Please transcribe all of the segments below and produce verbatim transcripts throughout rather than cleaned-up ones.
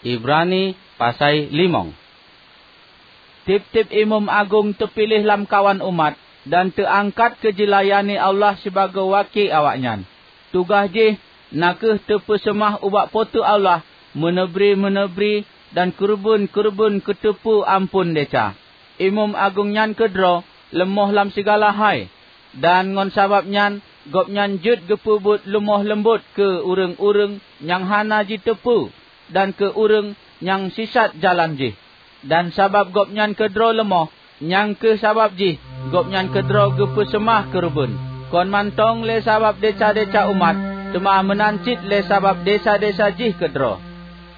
Ibrani pasai limong. Tieb-tieb imeum agong teupiléh lamkawan umat dan teuangkat keu jilayani Allah sibagoe waki awaknyan. Tugaih jih na kheueh teupeuseumah ubak Po teu Allah meuneubri-meuneubri dan keureubeuen-keureubeuen keu teupeu amphon desya. Imeum agong nyan keudroe leumoh lam sigala hai, dan ngon sabab nyan gobnyan jeuet geupeubuet leumoh leumbot keu ureuëng-ureuëng nyang hana jiteupeue dan keu ureuëng nyang sisat jalan jih. Dan sabab gobnyan keudroe leumoh, nyang kheueh sabab jih gobnyan keudroe geupeuseumah keureubeuen, kon mantong lé sabab desya-desya umat, teuma meunan cit lé sabab desya-desya jih keudroe.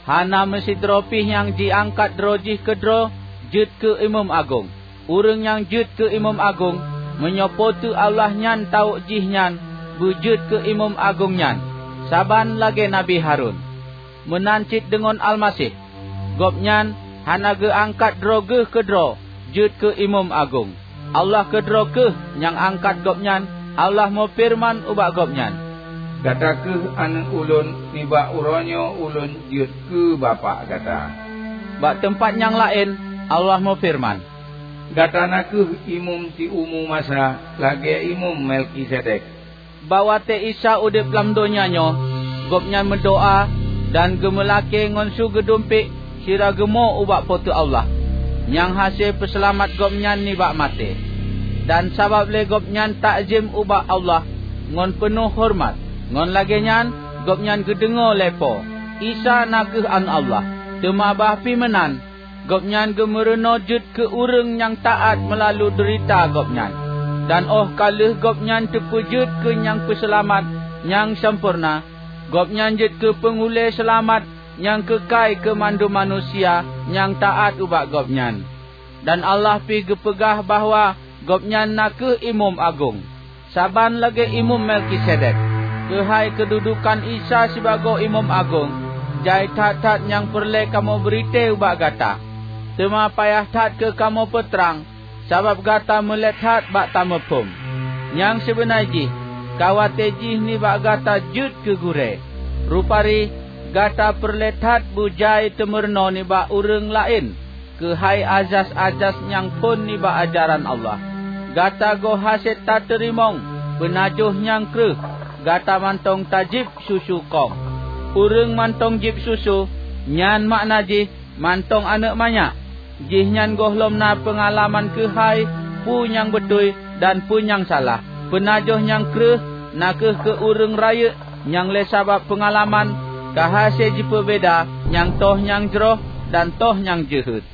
Hana meusidroe pih nyang jiangkat droe jih keudroe jeuet keu imeum agong. Ureuëng nyang jeuet keu imeum agong, meunyoe Po teu Allah nyan tawök jih nyan beujeuet keu imeum agong nyan, saban lagée Nabi Harun. Meunan cit deungon Almaseh. Gobnyan hana geuangkat droe geuh keudroe jeuet keu imeum agong. Allah keudroe kheueh nyang angkat gobnyan. Allah meufeureuman ubak gobnyan, "Gata kheueh aneuëk ulôn, nibak uroe nyoe ulôn jeuet keu Bapak gata." Bak teumpat nyang laén, Allah meufeureuman, "Gata na kheueh imeum siumu masa lagée Imeum Melkisedek." Bak watée Isa udeb lam donya nyoe, gobnyan meudoá dan geumeulakée ngon su geudumpék sira geumo ubak Po teu Allah, nyang hase peuseulamat gobnyan nibak maté. Dan sabab lé gobnyan takzem ubak Allah ngon peunoh horeumat, ngon lagée nyan gobnyan geudeungoe lé Po, Isa na kheueh Aneuëk Allah. Teuma bah pih meunan, gobnyan geumeurunoe jeuet keu ureuëng nyang taát meulalu deurita gobnyan. Dan óh ka lheueh gobnyan teupeujeuet keu nyang peuseulamat nyang sampoereuna, gobnyan jeuet keu peunghulée seulamat nyang keukai keu mandum manusia nyang taát ubak gobnyan. Dan Allah pih geupeugah bahwa gobnyan na kheueh Imeum Agong, saban lagée Imeum Melkisedek. Keuhai keududukan Isa sibagoe Imeum Agong, jai that-that nyang peureulée kamoe bri tée ubak gata. Teuma payah that keu kamoe peutrang, sabab gata meulét that bak tamuphom. Nyang sibeuna jih, ka watée jih nibak gata jeuet keu gurée. Rupari, gata peureulée that beujai teumeurunoe nibak ureuëng laén keuhai azas-azas nyang phon nibak ajaran Allah. Gata goh hase tateurimong peunajoh nyang kreueh, gata mantong tajieb susu kong. Ureuëng mantong jieb susu, nyan makna jih mantong aneuëk manyak. Jihnyan gohlom na peungalaman keuhai peue nyang beutôi dan peue nyang salah. Peunajoh nyang kreueh na kheueh keu ureuëng rayeuk nyang lé sabab peungalaman ka hase jipeubeda nyang toh nyang jroh dan toh nyang jeuhet.